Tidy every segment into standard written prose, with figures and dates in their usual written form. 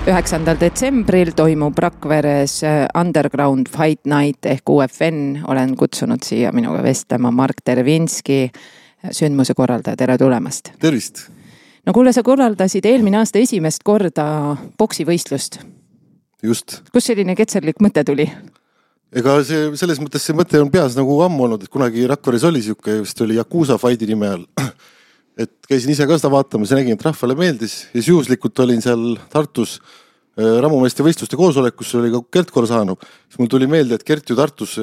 9. detsembril toimub Rakveres Underground Fight Night ehk UFN. Olen kutsunud siia minuga vestlema Mark Tervinski, sündmuse korraldaja. Tere tulemast. Tervist. No kuule, sa korraldasid eelmine aasta esimest korda boksivõistlust. Just. Kus selline ketserlik mõte tuli? Ega selles mõttes see mõte on peas nagu ammu olnud, et kunagi Rakveres oli siuke, vist oli Yakuza Fighti nime all. Et käisin ise ka seda vaatamas ja nägin, et rahvale meeldis. Ja siis juhuslikult olin seal Tartus ramumeeste võistluste koosolekus, oli ka Gert Korsano. Siis mul tuli meelde, et Gert ju Tartus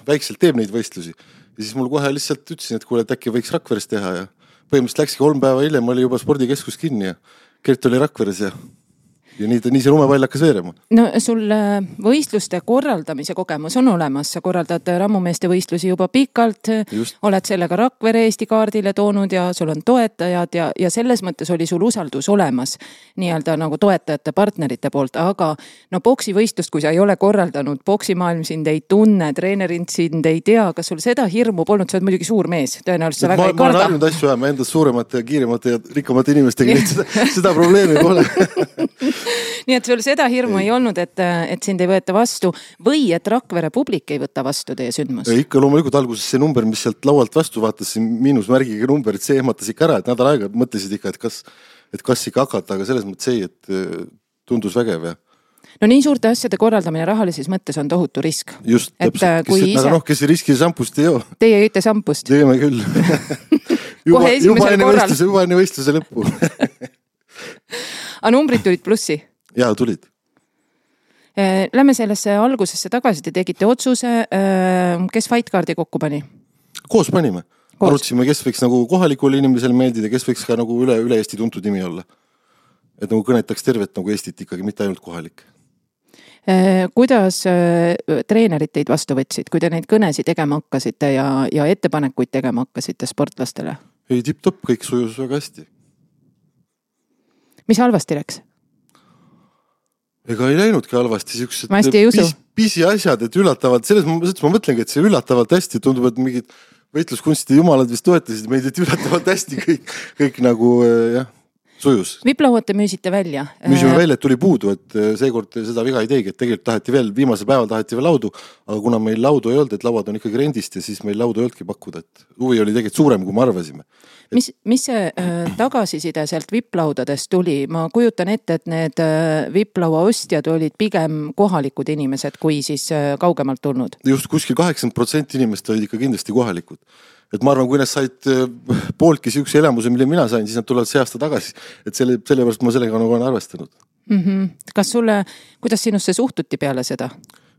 väikselt teeb neid võistlusi. Ja siis mul kohe lihtsalt ütlesin, et kuule, et äkki võiks Rakveres teha. Ja põhimõtteliselt läkski 3 päeva hiljem, oli juba spordikeskus kinni ja Gert oli Rakveres ja nii see lumepall hakkas veerema. No sul võistluste korraldamise kogemus on olemas. Sa korraldad rammumeeste võistlusi juba pikalt. Just. Oled sellega Rakvere Eesti kaardile toonud ja sul on toetajad ja selles mõttes oli sul usaldus olemas nii-öelda nagu toetajate partnerite poolt. Aga no boksivõistlust, kui sa ei ole korraldanud, boksimaailm sind ei tunne, treenerid sind ei tea, kas sul seda hirmu polnud? Sa oled muidugi suur mees, tõenäoliselt sa väga ei karda. Ma olen harjunud asju ajama endast suuremate ja kiiremate ja rikkamate inimestega, seda probleemi pole. Nii et sul seda hirmu ei olnud, et sind ei võeta vastu või et Rakvere publik ei võta vastu teie sündmus? Ikka loomulikult alguses see number, mis sealt laualt vastu vaatas, miinusmärgiga number, et see ehmatas ikka ära, et nädal aega mõtlesid ikka, et kas ikka hakata, aga selles mõttes ei, et tundus vägev. Ja. No nii suurte asjade korraldamine rahalises mõttes on tohutu risk. Just, täpselt. Kes ei riski sampust ei joo. Teie jõite sampust? Teeme küll. juba enne võistluse lõppu. Aga numbrid tulid plussi? Jaa, tulid. Lähme sellesse algusesse tagasi, te tegite otsuse, kes fightkaardi kokku pani? Koos panime. Arutasime, kes võiks nagu kohalikule inimesele meeldida, kes võiks ka nagu üle Eesti tuntud nimi olla. Et nagu kõnetaks tervet nagu Eestit ikkagi, mitte ainult kohalik. Kuidas treenerid teid vastu võtsid, kui te neid kõnesi tegema hakkasite ja ettepanekuid tegema hakkasite sportlastele? Ei, tipp-topp, kõik sujus väga hästi. Mis halvasti läks? Ega ei läinudki halvasti, pisi asjad, et üllatavalt, selles mõttes ma mõtlengi, et see üllatavalt hästi tundub, et mingid võitluskunstide jumalad vist toetasid meid, et üllatavalt hästi kõik nagu sujus. Viplauad te müüsite välja? Müüsime välja, et tuli puudu, et seekord seda viga ei teegi, et tegelikult taheti veel, viimasel päeval taheti veel laudu, aga kuna meil laudu ei olnud, et lauad on ikkagi rendist ja siis meil laudu ei oldki pakkuda, et huvi oli tegelikult suurem, kui me arvasime. Mis see tagasiside sealt viplaudadest tuli? Ma kujutan ette, et need viplaua ostjad olid pigem kohalikud inimesed, kui siis kaugemalt tulnud. Just kuskil 80% inimest olid ikka kindlasti kohalikud. Et ma arvan, kui nad said pooltki siukse elamuse, mille mina sain, siis nad tulevad see aasta tagasi. Et sellepärast ma sellega nagu olen arvestanud. Kuidas sinusse suhtuti peale seda?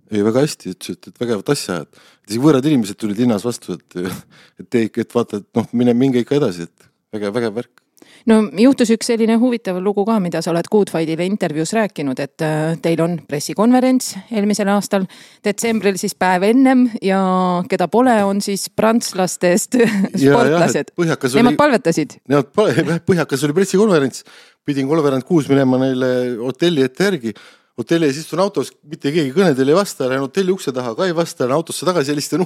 Ei, väga hästi, et vägevat asja, et võõrad inimesed tulid linnas vastu, et vaata, et minge ikka edasi, et vägev värk. No juhtus üks selline huvitav lugu ka, mida sa oled Good Fightile intervjuus rääkinud, et teil on pressikonverents eelmisel aastal, detsembril siis päev ennem ja keda pole, on siis prantslastest sportlased. Nemad palvetasid? Põhjakas oli pressikonverents, pidin 3:06 minema neile hotelli ette järgi. Hotelli ees istun autos, mitte keegi kõnedel ei vasta, lähen hotelli ukse taha, ka ei vasta, lähen autosse tagasi, helistan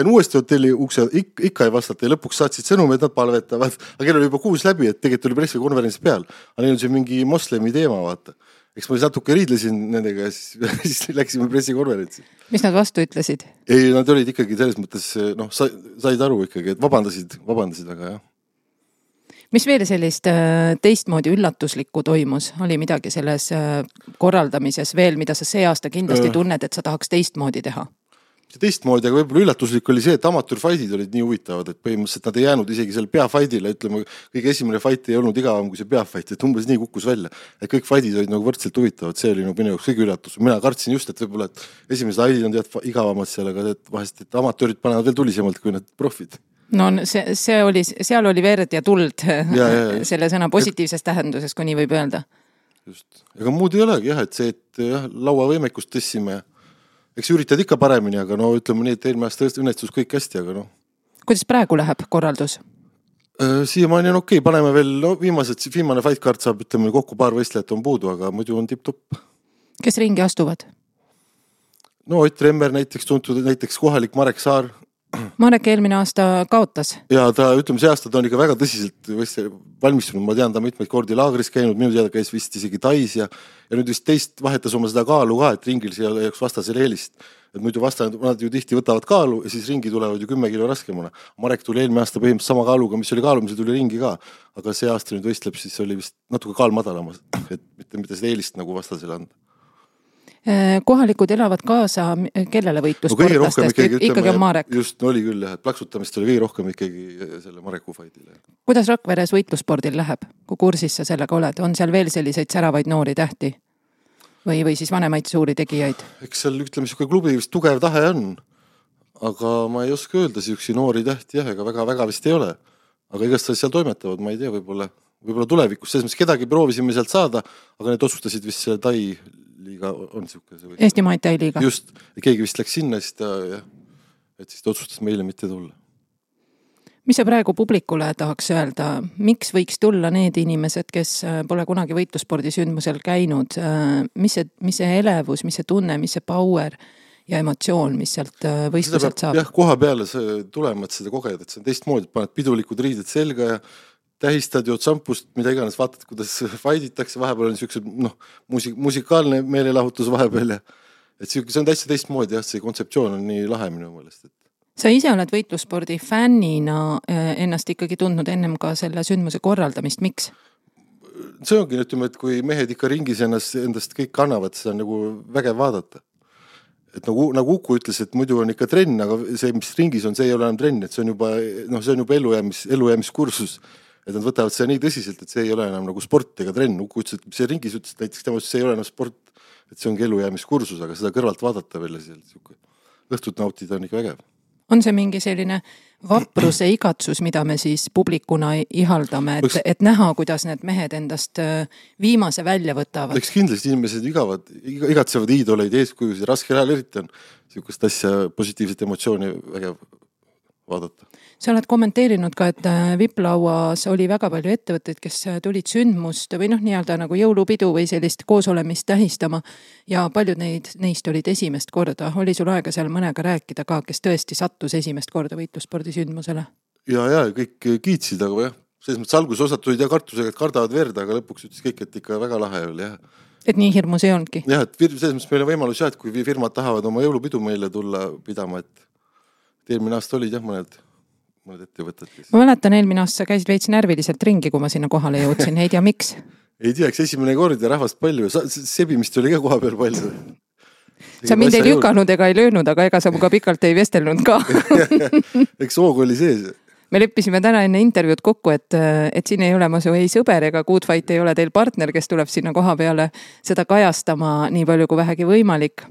uuesti hotelli ukse, ikka ei vastata ja lõpuks saatsid sõnum, et nad palvetavad. Aga kell oli juba 6 läbi, et tegelikult oli pressikonverents peal. Aga neil on see mingi moslemi teema, vaata. Eks ma natuke riidlesin nendega ja siis läksime pressikonverentsi. Mis nad vastu ütlesid? Ei, nad olid ikkagi selles mõttes, said aru ikkagi, et vabandasid, aga jah. Mis veel sellist teistmoodi üllatuslikku toimus? Oli midagi selles korraldamises veel, mida sa see aasta kindlasti tunned, et sa tahaks teistmoodi teha? Teistmoodi, aga võib-olla üllatuslik oli see, et amatöörfightid olid nii huvitavad, et põhimõtteliselt nad ei jäänud isegi selle peafightile, ütleme, kõige esimene fight ei olnud igavam kui see peafight, et umbes nii kukkus välja. Et kõik fightid olid nagu võrdselt huvitavad, see oli minu jaoks kõige üllatus. Mina kartsin just, et võib-olla esimesed fightid on tead igavamad seal, aga vahest, et amatöörid panevad veel tulisemalt kui need profid. No seal oli verd ja tuld selle sõna positiivses tähenduses, kui nii võib öelda. Just. Ega muud ei olegi jah, et see, et lauavõimekust tõssime. Eks üritad ikka paremini, aga ütleme nii, et eelmine aasta õnnestus kõik hästi, aga Kuidas praegu läheb korraldus? Siiamaani on okei, paneme veel viimane fightcard saab, ütleme kokku paar võistlejat on puudu, aga muidu on tipp-topp. Kes ringi astuvad? Ott Remmer näiteks tuntud, näiteks kohalik Marek Saar, Marek eelmine aasta kaotas. Ja ta, ütleme, see aasta ta on ikka väga tõsiselt valmistunud. Ma tean, ta mitmeid kordi laagris käinud, minu teada käis vist isegi Tais ja nüüd vist teist vahetas oma seda kaalu ka, et ringil siia jääks vastasele eelist. Et muidu vastajad, nad ju tihti võtavad kaalu ja siis ringi tulevad ju 10 kilo raskemana. Marek tuli eelmine aasta põhimõtteliselt sama kaaluga, mis oli kaalumisel, tuli ringi ka. Aga see aasta nüüd võistleb, siis oli vist natuke kaal madalamas, et mitte seda eelist nagu vastasele anda. Kohalikud elavad kaasa, kellele võitlusportlastest? Ikkagi on Marek. Just oli küll, et plaksutamist oli kõige rohkem ikkagi selle Mareku faidile. Kuidas Rakveres võitluspordil läheb, kui kursis sa sellega oled? On seal veel selliseid säravaid noori tähti? Või siis vanemaid suuri tegijaid? Eks seal, ütleme, klubi vist tugev tahe on. Aga ma ei oska öelda siuksi noori tähti, ega väga vist ei ole. Aga igast seal toimetavad, ma ei tea, võib-olla tulevikus. Selles mõttes kedagi proovisime sealt saada, aga need otsustasid vist selle Tai liiga on siuke. Eesti Muay Thai liiga. Just, keegi vist läks sinna, siis ta otsustas meile mitte tulla. Mis sa praegu publikule tahaks öelda? Miks võiks tulla need inimesed, kes pole kunagi võitluspordisündmusel käinud? Mis see elevus, mis see tunne, mis see power ja emotsioon, mis sealt võistluselt saab? Jah, koha peale tulema, et seda kogeda, et see on teistmoodi, paned pidulikud riided selga ja tähistad jood sampust, mida iganes, vaatad, kuidas faiditakse, vahepeal on niisuguse musikaalne meelelahutus vahepeal ja et see on täitsa teistmoodi, jah, see kontseptsioon on nii lahe minu meelest. Sa ise oled võitlusspordi fännina ennast ikkagi tundnud ennem ka selle sündmuse korraldamist, miks? See ongi, ütleme, et kui mehed ikka ringis endast kõik kannavad, see on nagu vägev vaadata. Et nagu Uku ütles, et muidu on ikka trenn, aga see, mis ringis on, see ei ole enam trenn, et see on juba elujäämiskursus. Et nad võtavad seda nii tõsiselt, et see ei ole enam nagu sport ega trenn. Uku ütles, et see ringis ütles, näiteks tema, see ei ole enam sport, et see ongi elujäämiskursus, aga seda kõrvalt vaadata veel õhtut nautida on ikka vägev. On see mingi selline vapruse igatsus, mida me siis publikuna ihaldame, et näha, kuidas need mehed endast viimase välja võtavad? Eks kindlasti inimesed igatsevad iidoleid eeskujusid, raske ajal eriti on niisugust asja positiivset emotsiooni vägev vaadata. Sa oled kommenteerinud ka, et Viplauas oli väga palju ettevõtteid, kes tulid sündmust või nii-öelda nagu jõulupidu või sellist koosolemist tähistama ja paljud neist olid esimest korda. Oli sul aega seal mõnega rääkida ka, kes tõesti sattus esimest korda võitluspordisündmusele? Ja kõik kiitsid, aga jah, selles mõttes alguses osad tulid ja kartusega, et kardavad verda, aga lõpuks ütles kõik, et ikka väga lahe oli, jah. Et nii hirmus ei olnudki? Jah, et selles mõttes meil on võimalus, et kui firmad tahavad oma jõulupidu meile tulla pidama, et eelmine aasta olid jah mõned ettevõtted. Ma mäletan, eelmine aasta sa käisid veits närviliselt ringi, kui ma sinna kohale jõudsin. Ei tea, miks? Ei tea, eks esimene kord ja rahvast palju. Sebimist oli ka koha peal palju. Sa mind ei lükanud ega ei löönud, aga ega sa muga pikalt ei vestelnud ka. Eks hoog oli sees. Me leppisime täna enne intervjuud kokku, et siin ei ole ma su ei sõber ega Good Fight ei ole teil partner, kes tuleb sinna koha peale seda kajastama nii palju kui vähegi võimalik.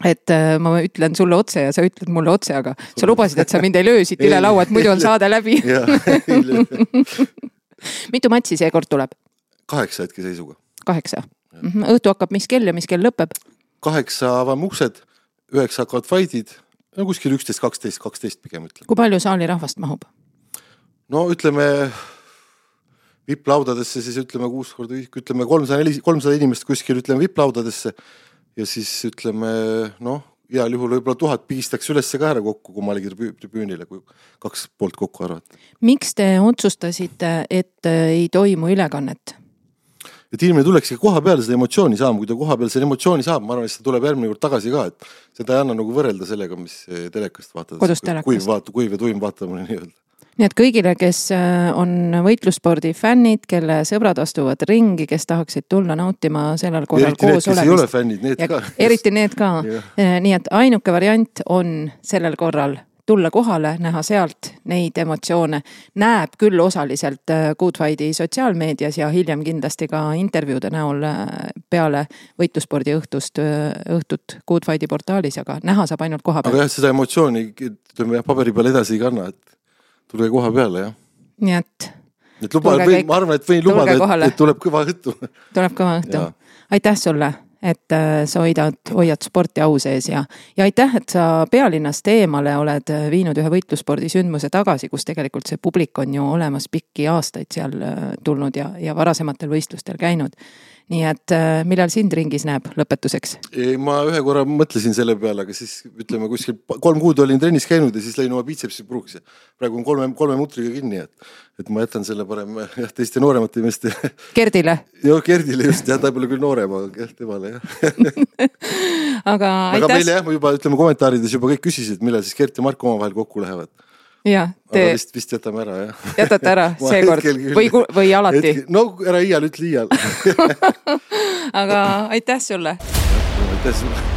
Et ma ütlen sulle otse ja sa ütled mulle otse, aga sa lubasid, et sa mind ei löösid üle laua, et muidu on saade läbi. Mitu matsi see kord tuleb? 8 hetke seisuga. 8. Õhtu hakkab mis kell ja mis kell lõpeb? 8 avame uksed, 9 hakkavad faidid, kuskil 11, 12 pigem ütleme. Kui palju saali rahvast mahub? No ütleme viplaudadesse, siis ütleme 6 korda, ütleme 300 inimest kuskil ütleme viplaudadesse. Ja siis ütleme, heal juhul võib-olla 1000 pigistaks ülesse ka ära kokku, kui ma oligi tribüünile, kui 2 poolt kokku arvata. Miks te otsustasite, et ei toimu ülekannet? Et inimene tulekski koha peale seda emotsiooni saama, kui ta koha peale seda emotsiooni saab, ma arvan, et see tuleb järgmine kord tagasi ka, et seda ei anna nagu võrrelda sellega, mis telekast vaatad. Kodus telekast. Kuiv ja tuim vaatamine nii öelda. Nii et kõigile, kes on võitlusspordi fännid, kelle sõbrad astuvad ringi, kes tahaksid tulla nautima sellel korral koos olemist. Eriti need, kes ei ole fännid, need ka. Eriti need ka. Nii et ainuke variant on sellel korral tulla kohale, näha sealt neid emotsioone. Näeb küll osaliselt Good Fighti sotsiaalmeedias ja hiljem kindlasti ka intervjuude näol peale võitluspordi õhtut Good Fighti portaalis, aga näha saab ainult koha peal. Aga jah, seda emotsiooni paberi peal edasi ei kanna, et tulge koha peale, jah. Nii et ma arvan, et võin lubada, et tuleb kõva õhtu. Tuleb kõva õhtu. Aitäh sulle, et sa hoiad sporti au sees ja aitäh, et sa pealinnast eemale oled viinud ühe võitlusspordi sündmuse tagasi, kus tegelikult see publik on ju olemas pikki aastaid seal tulnud ja varasematel võistlustel käinud. nii et millal sind ringis näeb lõpetuseks? Ma ühe korra mõtlesin selle peale, aga siis ütleme kuskil 3 kuud olin trennis käinud ja siis lõin oma biitsepsi puruks. Praegu on 3 mutriga kinni, et ma jätan selle parem teiste nooremate meeste. Gerdile? Joo, Gerdile just, ta pole küll noorem, aga temale aga meile juba ütleme kommentaarides juba kõik küsisid, millal siis Gert ja Marko omavahel kokku lähevad. Ja, aga vist jätame ära, jah. Jätate ära seekord või alati? No ära iial ütle iial. Aga aitäh sulle. Aitäh sulle.